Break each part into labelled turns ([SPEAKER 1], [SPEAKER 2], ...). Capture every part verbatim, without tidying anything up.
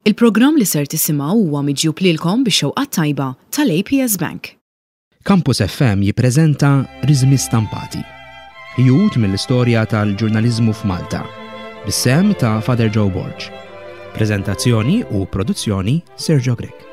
[SPEAKER 1] Il-programm li ser tisimgħu huwa miġjub lilkom bix-xewqa tajba tal-A P S Bank.
[SPEAKER 2] Campus F M jippreżenta Riżmi Stampati. Ħjut mill-istorja tal-ġurnaliżmu f'Malta. Bis-sehem ta' Father Joe Borg. Prezentazzjoni u produzzjoni, Sergio Grech.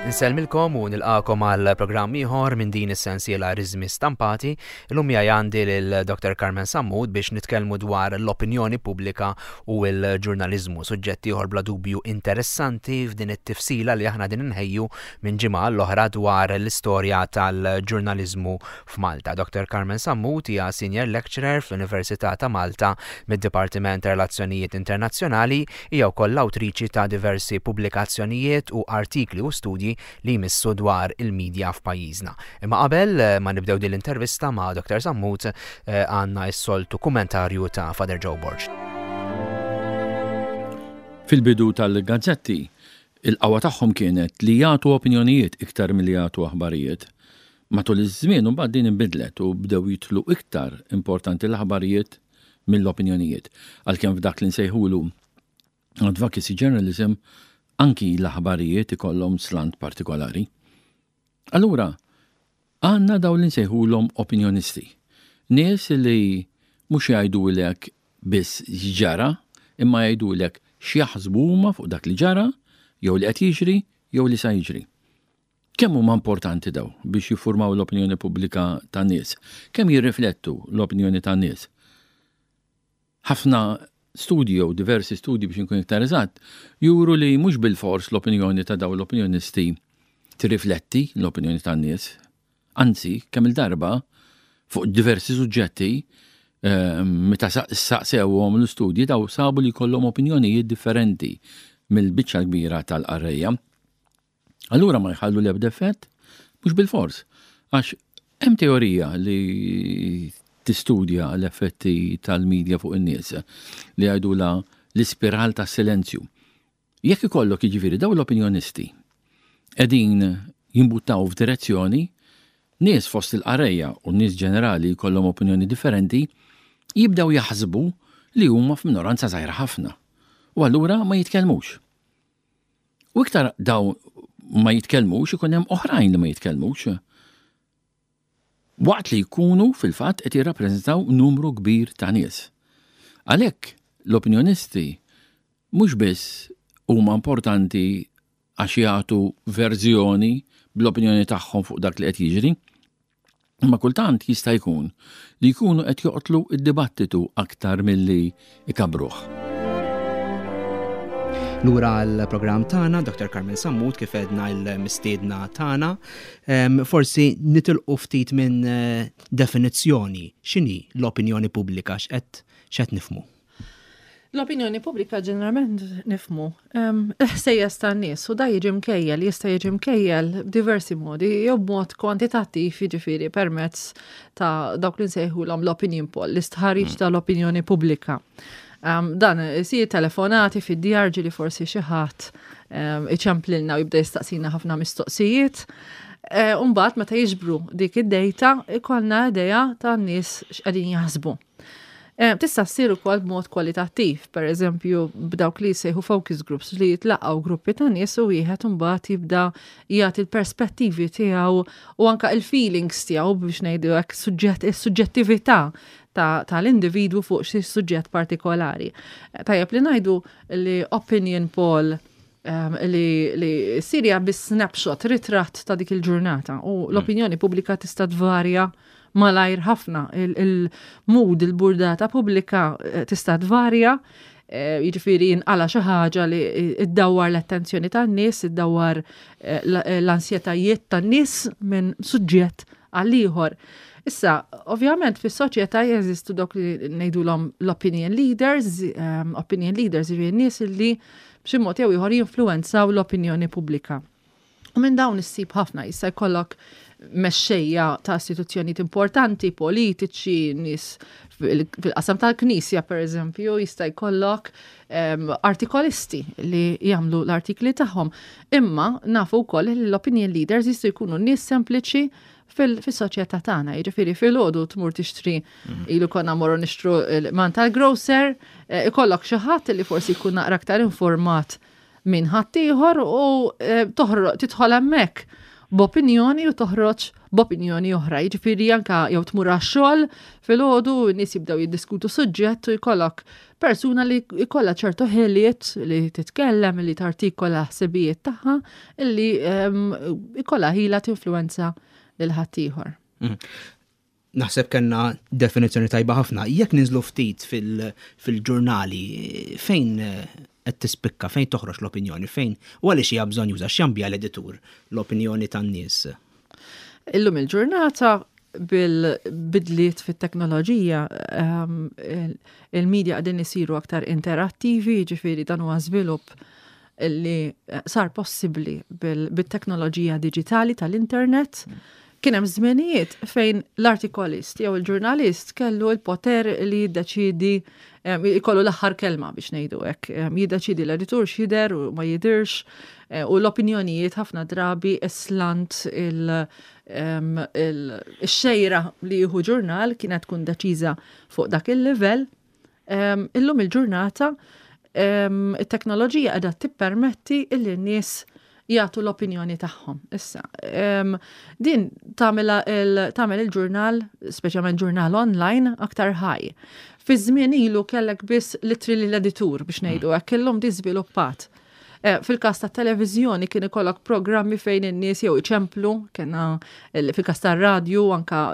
[SPEAKER 3] Insellmilkom u nilqakom għal programm ieħor minn din is-sensiela Riżmi Stampati. Illum miegħi għandi lil Doctor Carmen Sammut biex nitkellmu dwar l-opinjoni pubblika u l-ġurnaliżmu, suġġett ieħor bla dubju interessanti f'din it-tifsila li aħna din inħejju minn ġimgħa l-oħra dwar l-istorja tal-ġurnaliżmu f'Malta. Doctor Carmen Sammut hija senior lecturer fl-Università ta' Malta mid-Dipartiment ta' Relazzjonijiet Internazzjonali, hija wkoll l-awtriċi ta' diversi pubblikazzjonijiet u artikli u studji li jmissu dwar il-medja f'pajjiżna. Imma qabel eh, ma nibdew din l-intervista ma' Doctor Sammut, eh, għandna s-soltu kummentarju ta' Father Joe Borg.
[SPEAKER 4] Fil-bidu tal-gazzetti, il-qawwa tagħhom kienet li jagħtu opinjonijiet iktar milli jagħtu aħbarijiet. Matul iż-żmien imbagħad din inbidlet u bdew jitlu iktar importanti l-aħbarijiet mill-opinjonijiet. Għalkemm f'dak li nsejħulu advocacy journalism anki l-aħbarijiet ikollhom slant partikolari. Allura, għandna dawn li nsejħulhom opinjonisti. Nies li mhux jgħidulek biss x'ġara, imma jgħidulek x'jaħsbu huma fuq dak li ġara, jew li qed jiġri, jew li sa jiġri. Kemm huma importanti dawn biex jiffurmaw l-opinjoni pubblika tan-nies? Kemm jirriflettu l-opinjoni tan-nies? Ħafna studji jew diversi studji, biex nkun iktar eżatt, juru li mhux bil-fors l-opinjoni ta' dawn l-opinjonisti tirrifletti l-opinjoni tan-nies. Anzi, kemm il-darba fuq diversi suġġetti, eh, meta saqsewhom l-istudji, dawn sabu li kollhom opinjonijiet differenti mill-biċċa kbira tal-qarrejja. Allura ma jħallu l-ebda effett? Mhux bil-fors. Għax hemm teorija li tistudja l-effetti tal-medja fuq in-nies li jgħidulha l-ispiral ta' silenzju. Jekk ikollok, jiġifieri, dawn l-opinjonisti qegħdin jimbuttaw f'direzzjoni, nies fost il-qarrejja u nies ġenerali jkollhom opinjoni differenti, jibdew jaħsbu li huma f'minoranza żgħira ħafna. U allura ma jitkellmux. U iktar dawn ma jitkellmux, ikun hemm oħrajn li ma jitkellmux. Waqt li jkunu fil-fatt qed jirrappreżentaw numru kbir ta' nies. Għalhekk l-opinjonisti mhux biss huma importanti għax jagħtu verżjoni bl-opinjoni tagħhom fuq dak li qed jiġri, imma kultant jista' jkun li jkunu qed joqtlu id-dibattitu aktar milli ikabruh.
[SPEAKER 2] Lura l-programm tagħna, Doctor Carmen Sammut kif għedna l-mistiedna tagħna. Em, Forsi nitilqu ftit minn eh, definizzjoni. X'inhi l-opinjoni pubblika, x'qed x'qed nifhmu?
[SPEAKER 5] L-opinjoni pubblika ġeneralment nifhmu um, ħsejjes tan-nies u dan jiġi mkejjel, jista' jiġi mkejjel b'diversi modi, jew b'mod kwantitattiv, jiġifieri permezz ta' dawk li nsejħulhom l-opinion poll, l-istħarriġ tal-opinjoni pubblika. Um, dan isir telefonati fid-djar, li forsi xi ħadd um, iċemplilna u jibda jistaqsina ħafna mistoqsijiet. Uh, Umbagħad meta jiġbru dik id-data ikollna idea tan-nies x'qegħdin jaħsbu. Eh, Tista' ssir ukoll b'mod kwalitattiv, per eżempju b'dawk li jsejħu focus groups, li jitlaqgħu gruppi ta' nies u wieħed imbagħad jibda jagħti l-perspettivi tiegħu u anka il-feelings tiegħu, biex ngħidu hekk, suġġett, is-suġġettività tal-individwu fuq xi suġġett partikolari. Eh, Tajjeb li ngħidu li opinion poll um, li, li ssir bi snapshot, ritratt ta' dik il-ġurnata, u l-opinjoni pubblika tista' tvarja malajr ħafna. Il-mood, il-burdata pubblika eh, tista' tvarja, eh, jiġifieri jinqala xi ħaġa li iddawwar l-attenzjoni tan-nies, iddawwar eh, l-ansjetajiet tan-nies minn suġġett għal ieħor. Issa, ovvjament, fis-soċjetà jeżistu dawk li ngħidulhom l-opinion leaders, um, opinion leaders jiġifieri nies li b'xi mod jew ieħor jinfluwenzaw l-opinjoni pubblika. U minn dawn issib ħafna, jista' jkollok mexxejja ta' istituzzjonijiet importanti, politiċi, nies fil-qasam tal-Knisja per eżempju, jista' jkollok um, artikolisti li jagħmlu l-artikli tagħhom. Imma nafu wkoll li l-opinion leaders jistgħu jkunu nies sempliċi fil-soċjetà tagħna. Jiġifieri filgħodu tmur tixtri, mhm. ilu konna morru nixtru man tal-grocer, eh, ikollok xi ħadd li forsi jkun naqra aktar informat minn ħaddieħor u eh, toħroġ tidħol hemmhekk b'opinjoni u toħroġ b'opinjoni oħra. Jiġifieri anka jew tmur għax-xogħol filgħodu n-nies jibdew jiddiskutu suġġett u jkollok persuna li jkollha ċertu ħiliet li titkellem, li tartikola ħsibijiet tagħha, illi ehm, jkollha ħila tinfluwenza lil ħaddieħor.
[SPEAKER 3] Mm. Naħseb kellna definizzjoni tajba ħafna. Jekk ninżlu ftit fil-ġurnali, fejn qed tispikka, fejn toħroġ l-opinjoni, fejn u għaliex hija bżonn juża x'jambja l-editur l-opinjoni tan-nies?
[SPEAKER 5] Illum il-ġurnata bil-bidliet fit-teknoloġija, ehm, il-media qegħdin isiru aktar interattivi, ġifieri dan huwa żvilupp li sar possibbli bil-teknoloġija diġitali tal-internet. Kien hemm żmenijiet fejn l-artikolist jew il-ġurnalist kellu l-poter li jiddeċidi, jkollu l-aħħar kelma biex ngħidu hekk, jiddeċidi l-editur x'jidher u ma jidhirx, eh, u l-opinjonijiet ħafna drabi slant il-xejra li jieħu ġurnal kienet tkun deċiża fuq dak il-livell. Illum il-ġurnata it-teknoloġija qiegħda tippermetti illi n-nies jagħtu l-opinjoni tagħhom. Issa, din tagħmel il-ġurnal, speċjalment ġurnal online, aktar ħaj. Fi żmien ilu kellek biss litri l-editur biex ngħidu hekk, illum di żviluppat. Eh, fil-każ ta' televiżjoni kien ikollok programmi fejn in-nies jew iċemplu, kena fil-każ tar-radju anka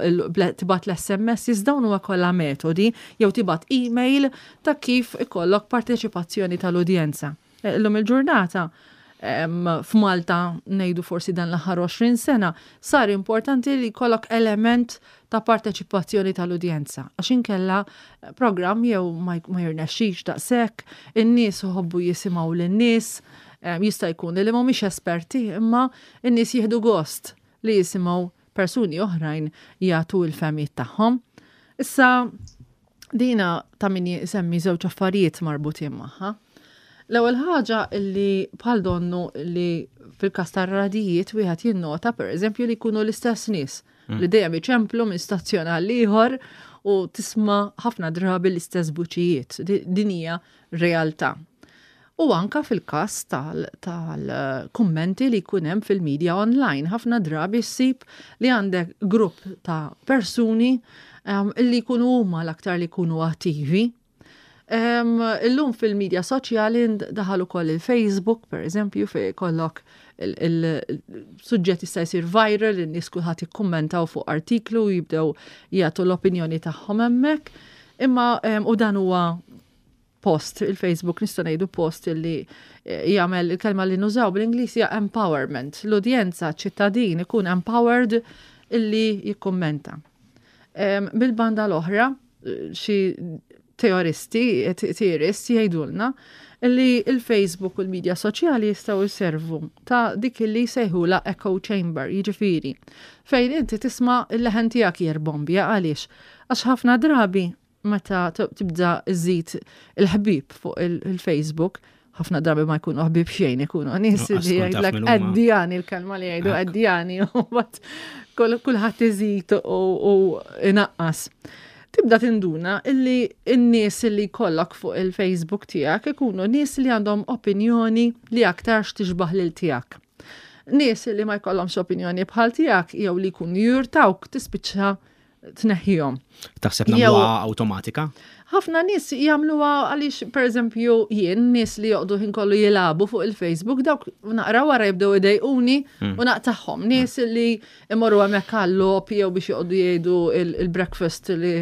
[SPEAKER 5] tibgħat l-S M S, dawn huwa kollha metodi jew tibgħat email ta' kif ikollok parteċipazzjoni tal-udjenza. Eh, illum il-ġurnata f'Malta, ngħidu forsi dan l-aħħar għoxrin sena, sar importanti li jkollok element ta' parteċipazzjoni tal-udjenza. Għax inkella programm jew ma jirnexxix daqshekk, in-nies iħobbu jisimgħu lin-nies, jista' jkun li mhumiex esperti, imma n-nies jieħdu gost li jisimgħu persuni oħrajn jagħtu l-fehmiet tagħhom. Issa dina ta' min jisemmi żewġ affarijiet marbutin magħha. L-ewwel ħaġa li bħal donnu li fil-każ tar-radijiet wieħed jinnota pereżempju li jkunu l-istess nies mm. li dejjem iċemplu minn stazzjon għal ieħor u tisma' ħafna drabi l-istess vuċijiet. Din hija realtà. U anka fil-każ tal-kummenti li jkun hemm fil-media online, ħafna drabi ssib li għandek grupp ta' persuni um, li jkunu huma l-aktar li jkunu attivi. Um, illum fil-medja soċjali daħal ukoll il-Facebook, per eżempju, fej kollok il-suġġett jista' jsir viral, in-nies kulħadd jikkummentaw fuq artiklu, jibdew jagħtu l-opinjoni tagħhom hemmhekk. Imma um, u dan huwa post, il-Facebook nista' ngħidu post li eh, jagħmel il-kelma li nużaw bl-Ingliż hija empowerment. L-udjenza, ċittadin ikun empowered illi jikkummenta. Bil-banda l-oħra, xi teoristi, theorists jgħidulna li il-Facebook u l-medja soċjali jistgħu jservu ta' dik li jsejħula echo chamber, jiġifieri fejn inti tisma' il-leħen tiegħek jirbombja. Għaliex? Għax ħafna drabi meta tibda iżid il-ħbib fuq il-Facebook, ħafna drabi ma jkunu ħbib xejn, ikunu nies li jgħidlek addjani, il-kelma li jgħidu addjani, u kulħadd iżid u inaqqas. Tibda tinduna illi n-nies li jkollok fuq il-Facebook tiegħek ikunu nies li għandhom opinjoni li aktarx tixbaħ lil tiegħek. Nies li ma jkollhomx opinjoni bħal tiegħek jew li jkunu jurtawk tispiċċa tneħħihom.
[SPEAKER 3] Taħseb nagħmluha awtomatika?
[SPEAKER 5] Ħafna nies jagħmluha għaliex, pereżempju, jien nies li joqdu ħin kollu jilagħbu fuq il-Facebook, dawk naqra wara jibdew idejquni hmm. u naqtagħhom. Nies li imorru hemmhekk għal-logħob jew biex joqogħdu jgħidu il-breakfast li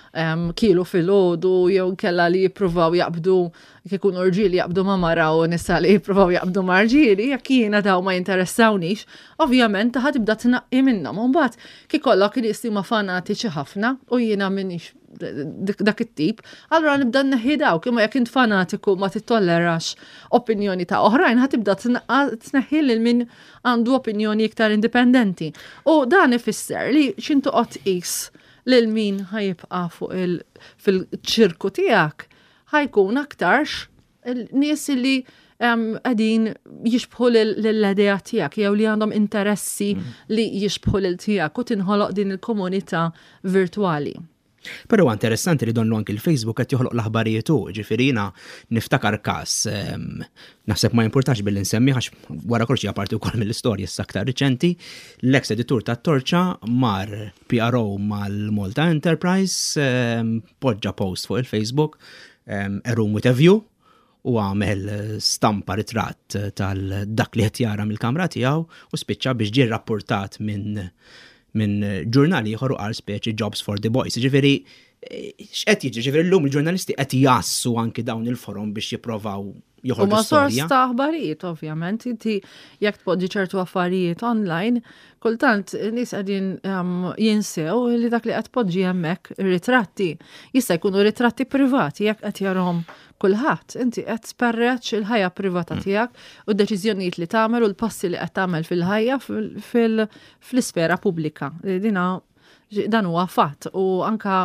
[SPEAKER 5] kielu filgħodu jew kella li jippruvaw jaqbdu kikun rġieli jaqbdu ma' mara u nisa li jippruvaw jaqbdu ma' rġieli, jekk jiena daw ma jinteressawniex, ovvjament ħa tibda tnaqqi minnhom. Mbagħad kikollok nies li huma fanatiċi ħafna u jiena minix dak it-tip, allura nibda nneħħi dawk, imma jekk int fanatiku ma tittollerax opinjoni ta' oħrajn, ħa tibda tneħħi lil min għandu opinjoni iktar indipendenti. U dan ifisser li x'int toqgħod tqis lil min ħa jibqa' fuq il fil-ċirku tiegħek ħa jkun aktarx nies li qegħdin jixbħu l-idea tiegħek jew li għandhom interessi mm. li jixbħu lil tiegħek u tinħoloq din il-komunità virtuali.
[SPEAKER 3] Però interessanti li donnu anki il-Facebook qed joħloq l-aħbarijiet u ġifieri jiena niftakar każ naħseb ma jimpurtax billi nsemmi għax wara kollox hija parti wkoll mill-istorja issa aktar riċenti, l-ex editur tat-Torċa mar P R O mal-Malta Enterprise, poġġa post fuq il-Facebook, "A room with a view", u għamel stampa ritratt tal-dak li qed jara mill-kamra tiegħu u spiċċa biex ġie rapportat minn minn ġurnali ieħor u qal speċi "jobs for the boys". Ġifieri x'qed jiġri, ġifieri llum il-ġurnalisti qed jassu anki dawn il-forum biex jipprovaw joħorġu
[SPEAKER 5] U ma sors ta' aħbarijiet, ovvjament, inti jekk tpoġġi ċertu affarijiet online, kultant nies qegħdin um, jinsew li dak li qed tpoġġi hemmhekk ritratti jista' jkunu ritratti privati jekk qed jarahom kulħadd. Inti qed tperreċ il-ħajja privata mm. tiegħek u d-deċiżjonijiet li tagħmel u l-passi li qed tagħmel fil-ħajja fl-isfera pubblika. Dina dan huwa fatt u anka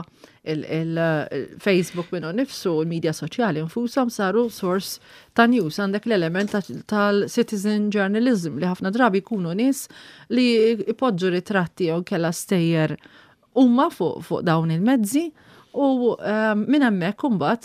[SPEAKER 5] il-Facebook minnu nifsu, il-medja soċjali nfushom saru source ta' news. Għandek l-element tal-citizen journalism li ħafna drabi jkunu nies li ipoġġu ritratti jew kella stejjer huma fuq fu dawn il-mezzi u um, minn hemmhekk imbagħad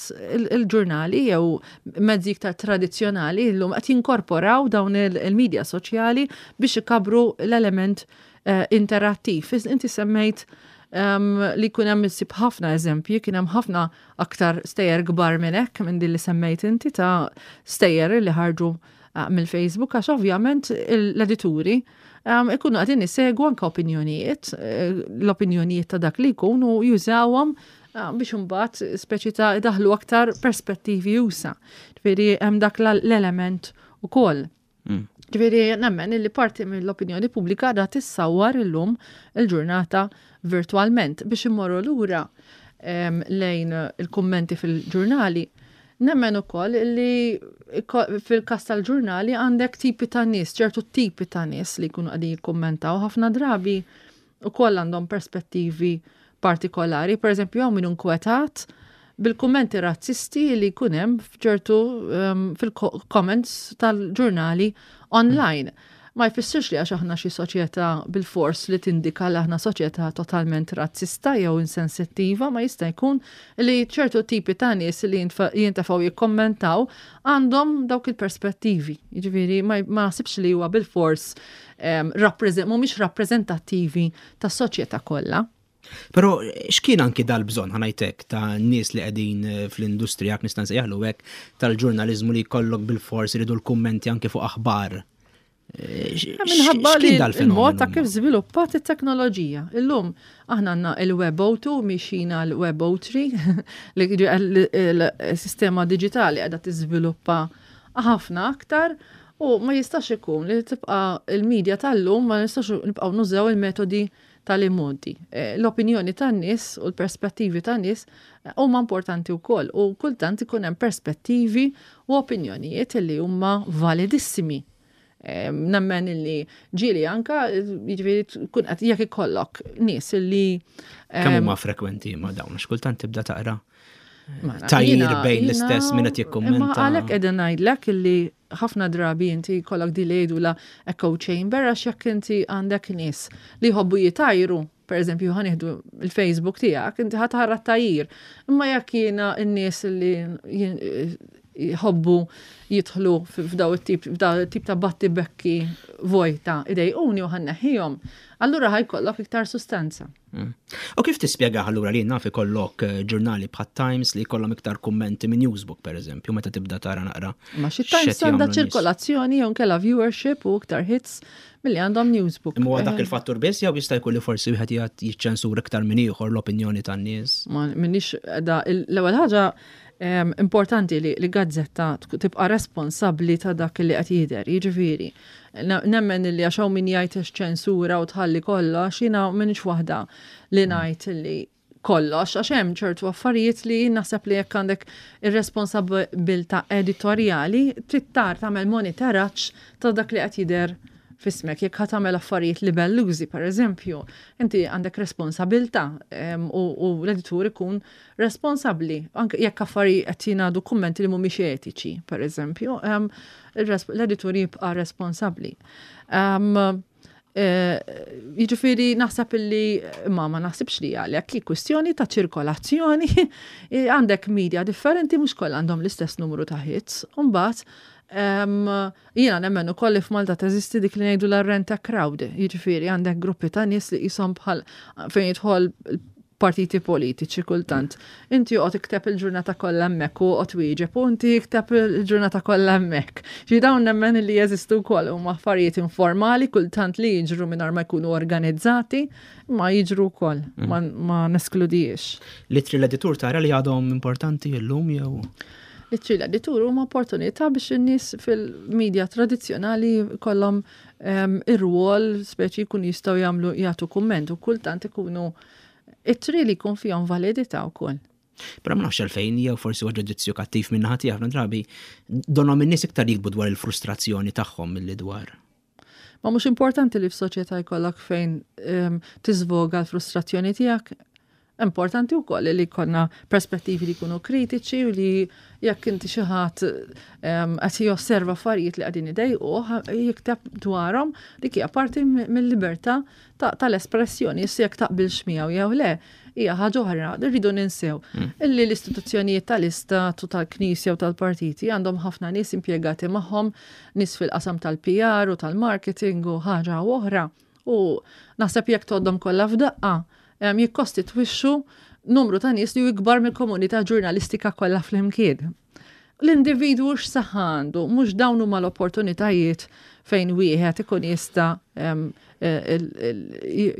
[SPEAKER 5] il-ġurnali jew mezzi iktar tradizzjonali llum qed jinkorporaw dawn il-medja soċjali biex ikabru l-element uh, interattiv. Inti semmejt um, li kun hemm issib ħafna eżempji, kien hemm ħafna aktar stejjer kbar minn hekk minn din li semmejt inti ta' stejjer li ħarġu uh, mill-Facebook għax ovvjament l-edituri um, ikunu qegħdin isegwu anke opinjonijiet, eh, l-opinjonijiet ta' dak li jkun u jużawhom uh, biex imbagħad speċi ta' idaħlu aktar perspettivi usa. Ġifieri hemm dak l-element ukoll. Mm. Ġifieri nemmen li parti mill-opinjoni pubblika da tissawar illum il-ġurnata virtualment biex immorru lura lejn il-kummenti fil-ġurnali. Nemmen ukoll li fil-kas tal-ġurnali għandek tipi ta' nies, ċertu tipi ta' nies li jkunu qegħdin jikkummentaw ħafna drabi ukoll għandhom perspettivi partikolari. Per eżempju, hawn min inkwetat bil-kummenti razzisti li jkun hemm f'ċertu um, fil-comments tal-ġurnali online. Ma jfissirx li għax aħna xi soċjetà bil-fors li tindika li aħna soċjetà totalment razzista jew insensittiva, ma jista' jkun li ċertu tipi ta' nies li jintefgħu jikkommentaw għandhom dawk il-perspettivi. Jiġifieri ma naħsibx li huwa bil-fors um, mhumiex rappreżentattivi tas-soċjetà kollha.
[SPEAKER 3] Però x'kien anki dal-bżonn, ħa ngħidlek, ta' nies li qegħdin eh, fl-industrija, nista' nsejjaħlu hekk, tal-ġurnaliżmu li jkollok bil-fors iridu l-kummenti anki fuq aħbar?
[SPEAKER 5] Eh, Minħabba li il-mod ta' kif żviluppat it-teknoloġija. Illum aħna għandna il-Web two mixina l-Web three li il-sistema digitali qiegħda tiżviluppa ħafna aktar u ma jistax ikun li tibqa' il-medja tal-lum ma nistax nibqgħu nużaw il-metodi tal-immodi. Eh, l-opinjoni tan-nies u l-perspettivi tan-nies eh, huma importanti wkoll u kultant ikun hemm perspettivi u opinjonijiet li huma validissimi. Eh, nemmen illi ġieli anka, jiġifieri tkun qed jekk ikollok nies illi
[SPEAKER 3] Kemm huma frekwenti ma dawn, għax kultant tibda taqra tajjir bejn l-istess min qed jikkummenta.
[SPEAKER 5] Imma għalhekk qegħdin ngħidlek illi ħafna drabi inti jkollok di li jgħidu la echo chamber għax jekk inti għandek nies li jħobbu jitajru, per eżempju ħa nieħdu il-Facebook tiegħek, inti ħa tara tajjir. Imma jekk jiena n-nies li jħobbu jidħlu f'daw it-tip f'daw it-tip ta' battibekki vojta idejquni u ħa nneħħihom, allura ħa jkollok iktar sustanza.
[SPEAKER 3] Mm. U kif tispjega allura li naf ikollok eh, ġurnali bħat Times li jkollhom iktar kummenti minn Newsbook, per eżempju, meta tibda tara naqra?
[SPEAKER 5] Ma xi Times għandha ċirkolazzjoni jew nkella viewership u iktar hits milli għandhom Newsbook.
[SPEAKER 3] Imma dak eh. il-fattur biss jew jista' jkun li forsi wieħed jiċċensur iktar minn ieħor l-opinjoni tan-nies?
[SPEAKER 5] Ma minix da l-ewwel ħaġa importanti li, li gazzetta tibqa' responsabbli ta' dak li qed jidher, jiġifieri. Nemmen li għax hawn min jgħid ċensura u tħalli kollox, jiena m'iniex waħda li mm. ngħid li kollox, għax hemm ċertu affarijiet li naħseb li jekk għandek ir-responsabbiltà editorjali, trid tar tagħmel monitoraġġ ta' dak li qed jidher f'ismek. Jekk ħa tagħmel affarijiet libellużi, per eżempju, inti għandek responsabbiltà u, u l-editur ikun responsabbli. Anke jekk affarijiet qed jingħadu, kummenti li mhumiex etiċi, per eżempju, l-editur jibqa' responsabbli. Um, Jiġifieri naħseb illi ma ma naħsibx li għalhekk hi kwistjoni ta' ċirkolazzjoni. Għandek media differenti, mhux kollha għandhom l-istess numru ta' hits. Mbagħad jiena nemmen ukoll li f'Malta teżisti dik li ngħidu l-rent crowd, jiġifieri għandek gruppi ta' nies li qishom bħal fejn jidħol partiti politiċi kultant. Inti oqgħod ikteb il-ġurnata kollha hemmhekk u oqgħod wieġeb u inti ikteb il-ġurnata kollha hemmhekk. Ġi dawn nemmen li jeżistu wkoll, huma affarijiet informali kultant li jiġru mingħajr ma jkunu organizzati, ma jiġru wkoll, mm. ma, ma neskludijiex.
[SPEAKER 3] L-ittri l-editur tara li għadhom importanti llum jew?
[SPEAKER 5] L-ittri l-editur huma opportunità biex in-nies fil-medja tradizzjonali kollhom um, ir-rwol speċi jkun jistgħu jagħmlu, jagħtu kumment u kultant ikunu ittri li jkun fihom validità wkoll.
[SPEAKER 3] Però ma nafx għalfejn, jew forsi huwa ġudizzju kattiv minn naħa tiegħi, ħafna drabi donhom in-nies iktar jikbu dwar il-frustrazzjoni tagħhom milli dwar.
[SPEAKER 5] Ma mhux importanti li f'soċjetà jkollok fejn um, tiżvoga l-frustrazzjoni tiegħek? Importanti wkoll li jkollna perspettivi li jkunu kritiċi u li jekk inti xi ħadd qed josserva affarijiet li qegħdin idejquh jikteb dwarhom, dik hija parti mill-libertà tal-espressjoni. Issa jekk taqbilx miegħu jew le, hija ħaġa oħra. Rridu ninsew mm. illi l-istituzzjonijiet tal-istat u tal-Knisja u tal-partiti għandhom ħafna nies impjegati magħhom, nies fil-qasam tal-P R u tal-marketing u ħaġa oħra. U naħseb jekk tgħoddhom kollha f'daqqa, jikkostitwixxu numru ta' nies li ikbar mill-komunità ġurnalistika kollha flimkien. L-individwu x'saħħa għandu, mhux dawn huma l-opportunitajiet fejn wieħed ikun jista'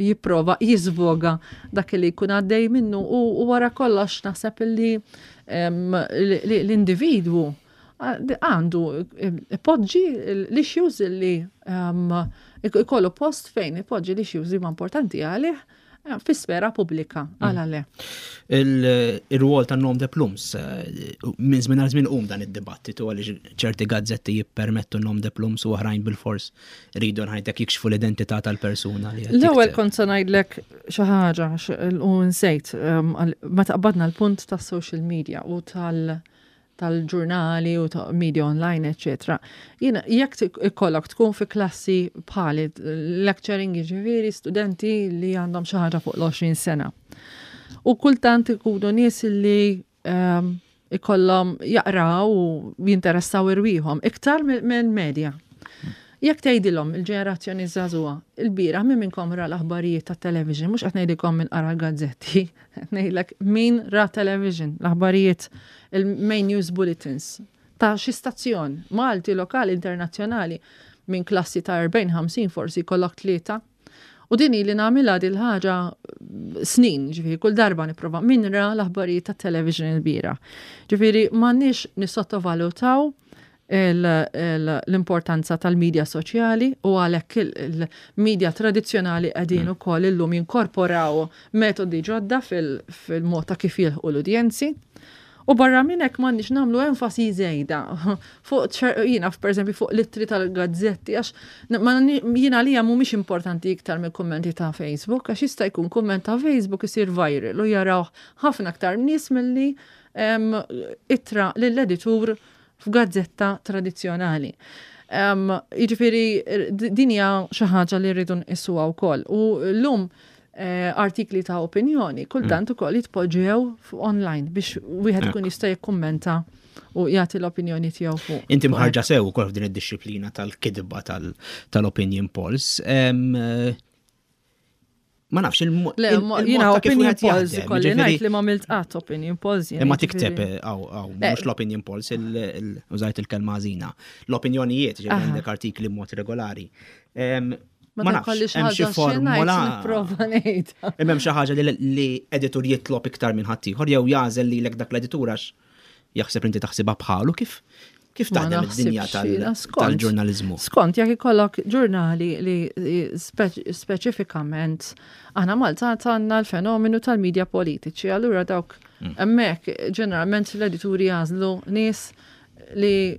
[SPEAKER 5] jipprova jiżvoga dak li jkun għaddej minnu? U wara kollox naħseb li l-individwu għandu ipoġġi l-issues li ikollu post fejn ipoġġi l-issues li huma importanti għalih fi sfera pubblika, għala le?
[SPEAKER 3] Il-rwol ta' nom de plumes, eh, minn żmien għal żmien um dan id-dibattitu għaliex ċerti gazzetti jippermettu nom de plumes u oħrajn bil-fors rridu ngħidlek jikxfu l-identità tal-persuna li
[SPEAKER 5] L-ewwel kont se ngħidlek xi ħaġa u nsejt, meta qbadna l-punt tas-social media u tal- tal-ġurnali u ta' media online, eccetera. Jiena, jekk ikollok tkun fi klassi bħali lecturing, jiġifieri studenti li għandhom xi ħaġa fuq l-għoxrin sena. U kultant ikunu nies li um, ikollhom jaqraw u jinteressaw irwieħhom iktar minn media. Jekk tgħidilhom il-ġenerazzjoni żagħżugħa, il-bieraħ min minnkom ra l-aħbarijiet tat-television, mhux qed ngħidilkom min qara l-gazzetti, qed ngħidlek min ra television, l-aħbarijiet, il-main news bulletins ta' xi stazzjon, Malti, lokali, internazzjonali, minn klassi ta' erbgħin ħamsin forsi jkollok tlieta. U din li nagħmilha dil ħaġa snin, ġifieri kull darba nipprova, min ra l-aħbarijiet tat-television il-bieraħ? Ġifieri m'għandniex nissottovalutaw l-importanza tal-medja soċjali u għalhekk il-medja tradizzjonali qegħdin mm. ukoll illum jinkorporaw metodi ġodda fil-mod ta' kif jilħqu l-udjenzi. U barra minn hekk m'għandniex nagħmlu enfasi żejda fuq, jiena, pereżempju, fuq l-ittri tal-gazzetti, għax jiena li mhumiex importanti iktar mill-kummenti ta' Facebook, għax jista' jkun kumment ta' Facebook isir viral u jaraw ħafna aktar nies milli ittra lill-editur f'gazzetta tradizzjonali. Um, Jiġifieri din hija xi ħaġa li rridu nqisuha wkoll. U llum eh, artikli ta' opinjoni, kultant ukoll jitpoġġew fuq online biex wieħed ikun jista' jikkummenta u jagħti l-opinjoni tiegħu fuq.
[SPEAKER 3] Inti mħarrġa sew ukoll f'din id-dixxiplina tal-kidba tal-opinion polls. Em, eh, Ma nafx il
[SPEAKER 5] Le, ma- jiena opinion polls ikolli ngħid li ma għamilt qatt opinion polls. Jiena,
[SPEAKER 3] Imma
[SPEAKER 5] jiġifieri.
[SPEAKER 3] tikteb, għaw, għaw,
[SPEAKER 5] Le.
[SPEAKER 3] mhux l-opinion polls, il- il- użajt il-kelma ħażina. L-opinjonijiet, ġifieri
[SPEAKER 5] Aha.
[SPEAKER 3] għandek artikli mod regolari. Em,
[SPEAKER 5] Ma
[SPEAKER 3] Ma nafx,
[SPEAKER 5] kolli xi
[SPEAKER 3] hemm xi
[SPEAKER 5] ħaġa xi ngħid
[SPEAKER 3] formula.
[SPEAKER 5] nipprova ngħid.
[SPEAKER 3] Imma hemm xi ħaġa li li editur jitlob iktar minn ħaddieħor jew jagħżel lilek dak l-editur għax jaħseb inti taħsibha bħalu, kif kif
[SPEAKER 5] Ma
[SPEAKER 3] taħdem id-dinja
[SPEAKER 5] naħsibx
[SPEAKER 3] tal-
[SPEAKER 5] jiena, skont.
[SPEAKER 3] tal-ġurnaliżmu.
[SPEAKER 5] Skont, jekk ikollok ġurnali li spe- speċifikament, aħna Malta għandna l-fenomenu tal-media politiċi, allura dawk hemmhekk ġeneralment l-edituri jagħżlu nies li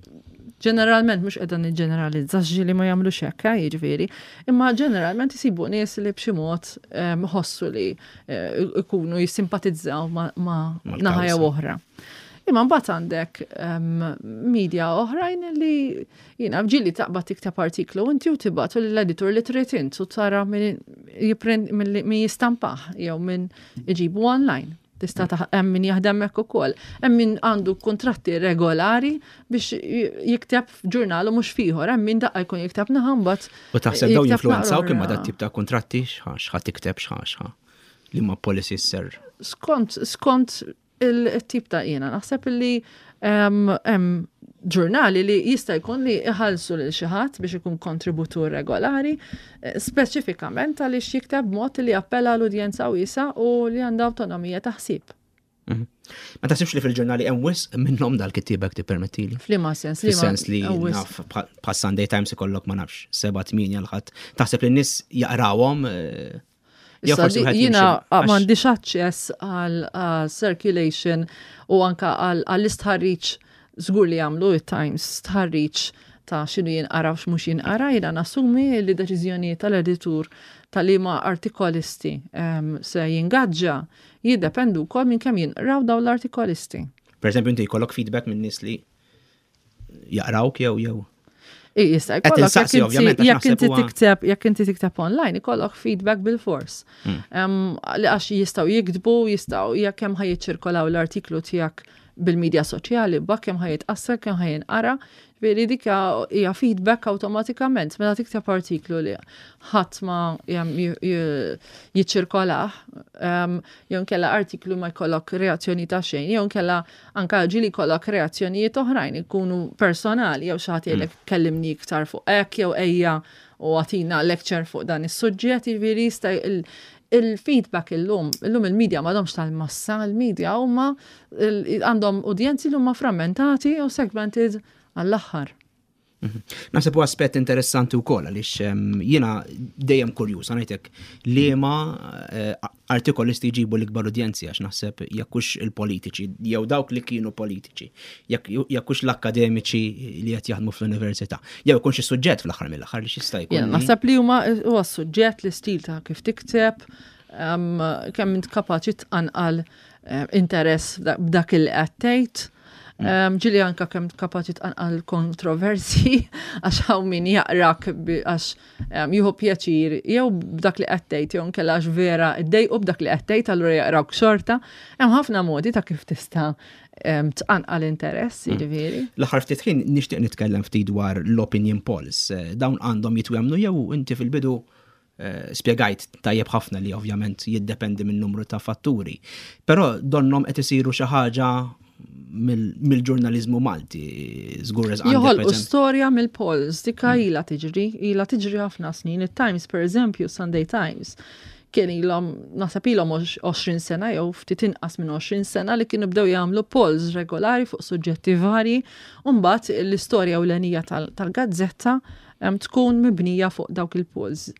[SPEAKER 5] ġeneralment, mhux qiegħda niġġeneralizza li ma jagħmlux hekk, eh, jiġifieri, imma ġeneralment isibu nies li b'xi mod em, ħossu li eh, ikunu jissimpatizzaw ma' ma'
[SPEAKER 3] Mal-kawża.
[SPEAKER 5] naħa jew oħra. Imma mbagħad għandek em, media oħrajn li jiena ġieli taqbad tikteb artiklu inti u tibgħatu lill-editur li trid int u tara min jipprint min min jistampah jew min iġibu online. Tista' taħ- hemm min jaħdem hekk ukoll. Hemm min għandu kontratti regolari biex j- jikteb f'ġurnal u mhux f'ieħor, hemm min daqqa jkun jikteb naħa mbagħad
[SPEAKER 3] U taħseb daw
[SPEAKER 5] jikteb
[SPEAKER 3] jinfluenzaw
[SPEAKER 5] naqra
[SPEAKER 3] kemm
[SPEAKER 5] oħra.
[SPEAKER 3] dat tip ta' kontratti x'ħa x'ħa tikteb, x'ħa x'ħa li ma policies ser.
[SPEAKER 5] Skont skont il-tip ta' jiena naħseb li em, hemm ġurnali li jista' jkun li iħallsu lil xi ħadd biex ikun kontributur regolari, eh, speċifikament għaliex jikteb mod li appella l-udjenza wiesa u li għandha awtonomija ta' ħsieb.
[SPEAKER 3] Mhm. Ma taħsibx li fil-ġurnali hemm wisq minnhom dal-kittieba, tippermettili?
[SPEAKER 5] F'liema sens? Liema-
[SPEAKER 3] Fis-sens li
[SPEAKER 5] hawn wisq.
[SPEAKER 3] naf bħal Sunday Times ikollok, ma nafx, seba' tmienja l-ħadd. Taħseb li n-nies jaqrawhom eh, jew
[SPEAKER 5] Issa,
[SPEAKER 3] forsi
[SPEAKER 5] di-
[SPEAKER 3] wieħed
[SPEAKER 5] Jiena
[SPEAKER 3] jimxi- għax-
[SPEAKER 5] m'għandix aċċess għal għal circulation u anka għal għall-istħarriġ. Żgur li jagħmlu it-Times stħarriġ ta' x'inhu jinqara u x'mhux jinqara, jiena nassumi li deċiżjoni tal-editur tal-liema artikolisti em, se jingaġġa jiddependu wkoll minn kemm jinqraw dawn l-artikolisti.
[SPEAKER 3] Per eżempju, inti jkollok feedback minn nies li jaqrawk jew jew.
[SPEAKER 5] I, jista'
[SPEAKER 3] Qed
[SPEAKER 5] jkollok
[SPEAKER 3] insaqsi,
[SPEAKER 5] jekk
[SPEAKER 3] ovvjament,
[SPEAKER 5] inti
[SPEAKER 3] għax
[SPEAKER 5] jekk inti
[SPEAKER 3] naħseb huwa-
[SPEAKER 5] tikteb jekk inti tikteb online ikollok feedback bil-fors.
[SPEAKER 3] Hmm.
[SPEAKER 5] Em, li għax jistgħu jiktbu, jistgħu jekk kemm ħa jiċċirkolaw l-artiklu tiegħek bil-medja soċjali, bak kemm ħa jitqassar, kemm ħa jinqara, veri dik hija feedback awtomatikament. Meta tikteb artiklu li ħadd ma jem- j- j- jiċċirkolah, em, jew nkella artiklu ma jkollok reazzjoni ta' xejn, jew nkella anka ġieli jkollok reazzjonijiet oħrajn ikunu personali, jew xi ħadd jgħidlek kellimni iktar fuq hekk jew ejja u agħtina lecture fuq dan is-suġġett, jiġifieri jista' il- il-feedback illum, illum il-medja m'għadhomx tal-massa, il-medja huma il- għandhom udjenzi li huma frammentati u segmented għall-aħħar.
[SPEAKER 3] Naħseb u aspett interessanti wkoll għaliex em, jiena dejjem kurjuż ngħidlek liema eh, artikolisti jġibu l-ikbar udjenzi, għax naħseb jekk hux il-politiċi jew dawk li kienu politiċi, jekk jekk hux l-akademiċi li qed jaħdmu fl-università, jew ikun xi suġġett fl-aħħar mill-aħħar li x'jista' jkun.
[SPEAKER 5] Jiena
[SPEAKER 3] li-
[SPEAKER 5] naħseb li huma huwa suġġett, l-istil ta' kif tikteb, em, kemm int kapaċi tqanqal eh, interess b'dak- b'dak il qed tgħid. Em, Ġieli anka kemm kapaċi tqanqal kontroversi, għax hawn min jaqrak bi- għax em, jieħu pjaċir jew b'dak li qed tgħid jew nkella għax vera iddejqu b'dak li qed tgħid, allura jaqrawk xorta. Hemm ħafna modi ta' kif tista' em, tqanqal interess, jiġifieri.
[SPEAKER 3] L-aħħar ftit ħin nixtieq nitkellem ftit dwar l-opinion polls. Eh, Dawn għandhom jitwemnu jew inti fil-bidu eh, spjegajt tajjeb ħafna li ovvjament jiddependi minn numru ta' fatturi. Però donnom qed isiru xi ħaġa mill- mill-ġurnaliżmu Malti, żgur għandek, per
[SPEAKER 5] Joħolqu
[SPEAKER 3] eżempju-
[SPEAKER 5] storja mill-polls, dika ila tiġri, ila tiġri ħafna snin. Il-Times, per eżempju, Sunday Times, kien ilhom, naħseb ilhom għoxrin sena jew ftit inqas minn għoxrin sena li kienu bdew jagħmlu polls regolari fuq suġġetti varji, u mbagħad l-istorja ewlenija tal- tal-gazzetta em, tkun mibnija fuq dawk il-polls.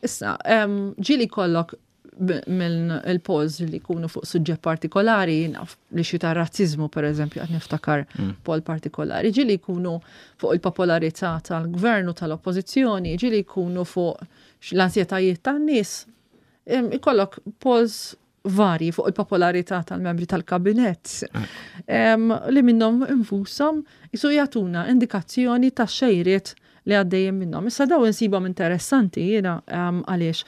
[SPEAKER 5] Issa, em, ġieli kollok b- minn il-polls li jkunu fuq suġġett partikolari, naf li xi ta' razzizmu, per eżempju, qed niftakar poll partikolari, ġieli jkunu fuq il-popolarità tal-gvern u tal-oppożizzjoni, ġieli jkunu fuq l-ansjetajiet tan-nies. Em, Ikollok polls varji fuq il-popolarità tal-membri tal-kabinett em, li minnhom infushom jisu jagħtuna indikazzjoni ta' xejriet li għaddejjem minnhom. Issa daw insibhom interessanti jiena em, għaliex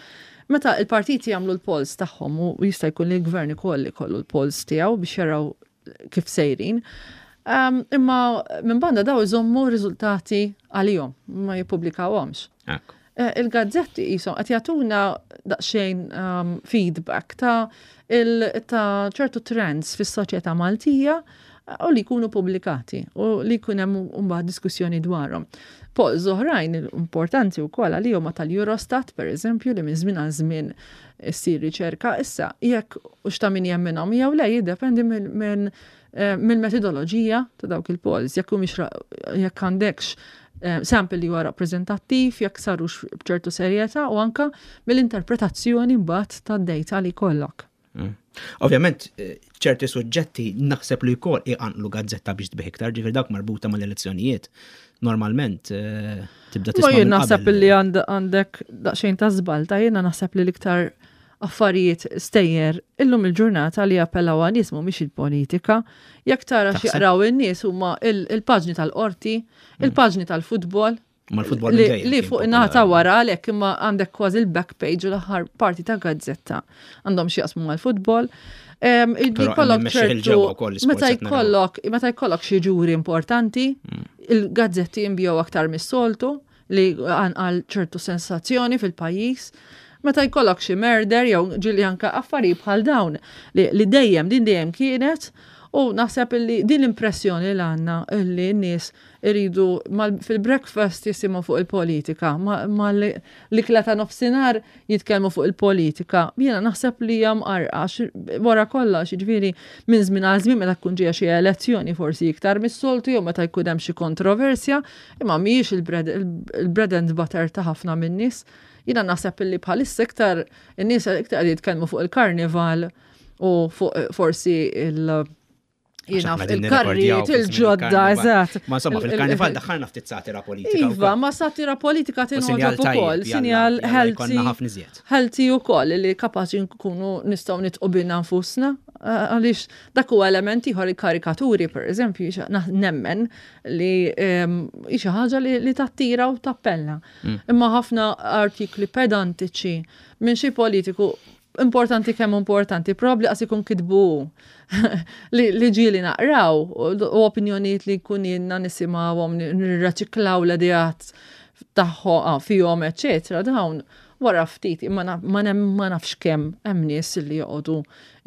[SPEAKER 5] Meta il-partiti jagħmlu l-polls tagħhom u jista' jkun li l-gvern ukoll ikollu l-polls tiegħu biex jaraw kif sejrin. Um, imma minn banda daw iżommu riżultati għalihom, ma jippubblikawhomx. Eh, il-gazzetti jisom qed jagħtuna daqsxejn um, feedback ta' il, ta' ċertu trends fis-soċjetà Maltija eh, u li jkunu pubblikati u li jkun hemm mbagħad diskussjoni dwarhom. Polls oħrajn importanti wkoll għalihom ma tal-Eurostat pereżempju li minn żmien għal żmien issir riċerka issa jekk hux ta' min jemminhom jew le jiddependi minn eh, mill-metodoloġija ta' dawk il-polls, jekk humiex jekk għandekx Eh, sample li huwa rappreżentattiv, jekk sarux b'ċertu serjetà u anka mill-interpretazzjoni mbagħad tad-data li jkollok.
[SPEAKER 3] Mm. Ovvjament, eh, ċerti suġġetti naħseb li jkoll iqanqlu gazzetta biex tbih iktar, ġifier dawk marbuta mal-elezzjonijiet. Normalment eh, tibda
[SPEAKER 5] tisma'. Ma jien naħseb li għandek daqsxejn ta' żball ta' jiena naħseb li l-iktar affarijiet stejjer illum il-ġurnata li jappellaw għan-nies mhumiex il-politika. Jekk tara x'jaqraw in-nies huma il-paġni tal-qorti, mm. il-paġni tal-futbol.
[SPEAKER 3] Mal-futbol
[SPEAKER 5] li fuq nata wara għalhekk imma għandek kważi il-back page u l-aħħar parti ta' gazzetta għandhom xi jaqsmu mal-futbol. Jkollok ċertu meta jkollok meta jkollok xi ġuri importanti, mm. il-gazzetti jinbiegħu aktar mis-soltu li għal ċertu sensazzjoni fil-pajjiż. Meta jkollok xi murder jew ġieli anke affarijiet bħal dawn li, li dejjem din dejjem kienet u naħseb li din l-impressjoni li għandna li n-nies iridu fil-breakfast jisimgħu fuq il-politika, mal-ikla ta' nofsinhar jitkellmu fuq il-politika. Jiena naħseb li hija mqarrqa wara kollox, jiġifieri minn żmien għal żmien meta tkun ġejja xi elezzjoni forsi iktar mis-soltu jew meta jkun hemm xi kontroversja, imma mhijiex il-bread and butter ta' ħafna min-nies. Jiena naħseb illi bħalissa iktar in-nies iktar qed jitkellmu fuq il-karnival u fuq forsi il- Jiena il-karrijiet il-ġodda, eżatt.
[SPEAKER 3] Ma insomma, fil-karnival daħħalna ftit satira politika.
[SPEAKER 5] Iva, ma satira politika tinħoġob ukoll, sinjal healthy. Healthy ukoll li kapaċi nkunu nistgħu nitqu bina nfusna. Għaliex dak huwa element ieħor il-karikaturi, per eżempju, nemmen li hi xi ħaġa li tattira u tappella. Mm. Imma ħafna artikli pedantiċi minn xi politiku importanti kemm importanti, probabbli qas ikun kitbu li, li ġieli naqraw u opinjonijiet li jkun jiena nisimgħuhom nirreċiklaw l-ideat tagħhom ah, fihom, eċetera, dawn wara ftit imma ma nafx kemm hemm nies li joqogħdu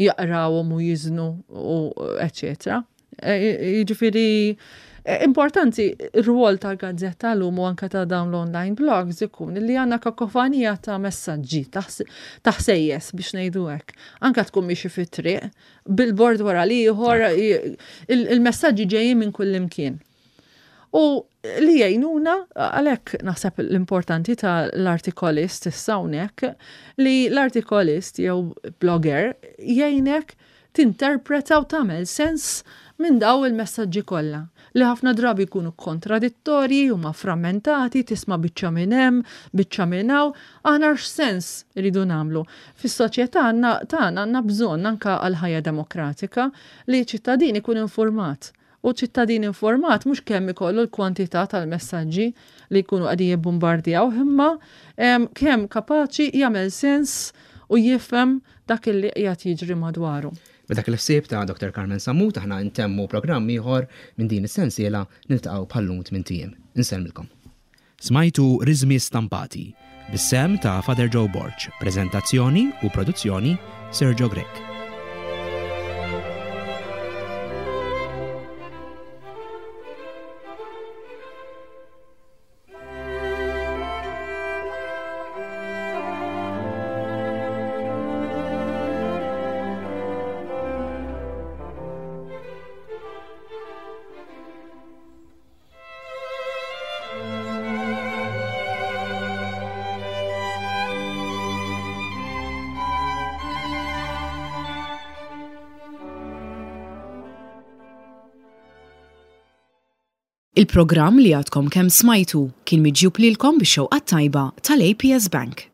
[SPEAKER 5] jaqrawhom u jiżnu u eċetera. E, jiġifieri e, importanti r-rwol tal-gazzetta l-lum u anke ta' dawn l-online blogs ikun li għandna kakofanija ta' messaġġi ta' ħsejjes biex ngħidu hekk. Anke tkun miexi fit-triq, billboard wara l-ieħor, il-messaġġi ġejjin minn kull imkien. U li jgħinuna, għalhekk naħseb l-importanti ta' l-artikolist issa hawnhekk, li l-artikolist jew blogger jgħinek tinterpreta u tagħmel sens minn daw il-messaġġi kollha li ħafna drabi jkunu kontradittorji, huma frammentati, tisma' biċċa minn hemm, biċċa minn hawn, aħna x'sens iridu nagħmlu. Fis-soċjetà tagħna għandna bżonn anke għal ħajja demokratika li ċittadin ikun informat. U ċittadin informat mhux kemm ikollu l-kwantità tal-messaġġi li jkunu qegħdin jibbombardjaw, imma kemm kapaċi jagħmel sens u jifhem dak li qiegħed jiġri madwaru.
[SPEAKER 3] B'dak il-ħsieb ta' Dottor Carmen Sammut aħna ntemmu programm ieħor minn din is-sensiela niltaqgħu bħal-lum tmint ijiem. Insellmilkom. Smajtu Riżmi Stampati, bis-sehem ta' Father Joe Borg, preżentazzjoni u produzzjoni Sergio Grech.
[SPEAKER 1] Il-programm li għadkom kemm smajtu kien miġjub lilkom bix-xewqa t-tajba tal-A P S Bank.